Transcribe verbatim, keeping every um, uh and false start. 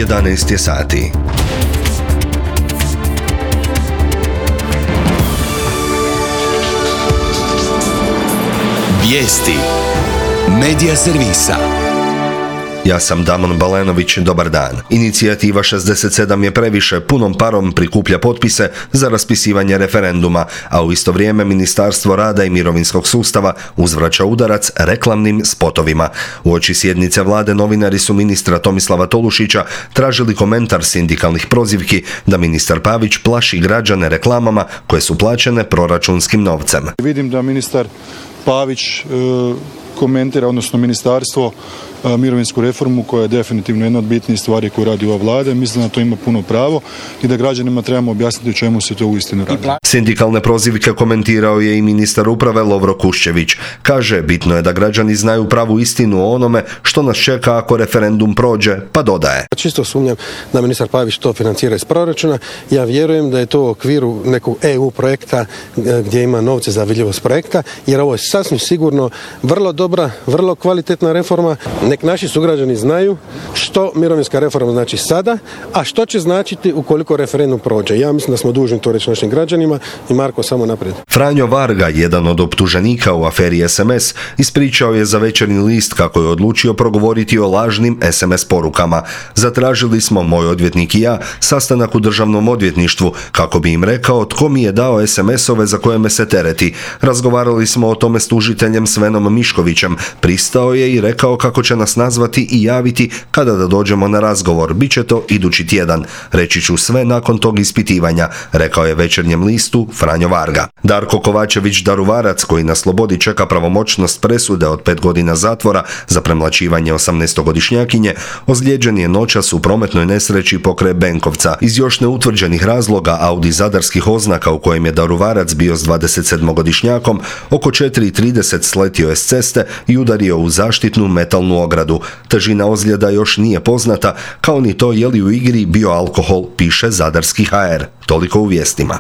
jedanaest je sati. Vijesti Medija servisa. Ja sam Damon Balenović, dobar dan. Inicijativa šezdeset sedam je previše punom parom prikuplja potpise za raspisivanje referenduma, a u isto vrijeme Ministarstvo rada i mirovinskog sustava uzvraća udarac reklamnim spotovima. Uoči sjednice vlade novinari su ministra Tomislava Tolušića tražili komentar sindikalnih prozivki da ministar Pavić plaši građane reklamama koje su plaćene proračunskim novcem. Vidim da ministar Pavić e, komentira, odnosno ministarstvo, e, mirovinsku reformu koja je definitivno jedna od bitnijih stvari koju radi ova vlada. Mislim da to ima puno pravo i da građanima trebamo objasniti o čemu se to uistinu radi. Sindikalne prozivke komentirao je i ministar uprave Lovro Kuščević. Kaže, bitno je da građani znaju pravu istinu o onome što nas čeka ako referendum prođe, pa dodaje. Čisto sumnjam da ministar Pavić to financira iz proračuna. Ja vjerujem da je to u okviru nekog E U projekta gdje ima novce za vidljivost projekta, jer ovo je sasvim sigurno vrlo dobra, vrlo kvalitetna reforma. Nek naši sugrađani znaju što mirovinska reforma znači sada, a što će značiti ukoliko referendum prođe. Ja mislim da smo dužni to reći našim građanima i Marko, samo naprijed. Franjo Varga, jedan od optuženika u aferi es em es, ispričao je za Večernji list kako je odlučio progovoriti o lažnim es em es porukama. Zatražili smo, moj odvjetnik i ja, sastanak u državnom odvjetništvu kako bi im rekao tko mi je dao es em esove za koje me se tereti. Razgovarali smo o tome s tužiteljem Svenom Miškovićem. Pristao je i rekao kako će nas nazvati i javiti kada da dođemo na razgovor. Biće to idući tjedan. Reći ću sve nakon tog ispitivanja, rekao je Večernjem listu Franjo Varga. Darko Kovačević Daruvarac, koji na slobodi čeka pravomoćnost presude od pet godina zatvora za premlaćivanje osamnaestogodišnjakinje, ozlijeđen je noćas u prometnoj nesreći pokraj Benkovca. Iz još neutvrđenih razloga Audi zadarskih oznaka u kojem je Daruvarac bio s dvadesetsedmogodišnjakom oko četiri i trideset sletio je s ceste i udario u zaštitnu metalnu ogradu. Težina ozljeda još nije poznata, kao ni to je li u igri bio alkohol, piše Zadarski ha er. Toliko u vijestima.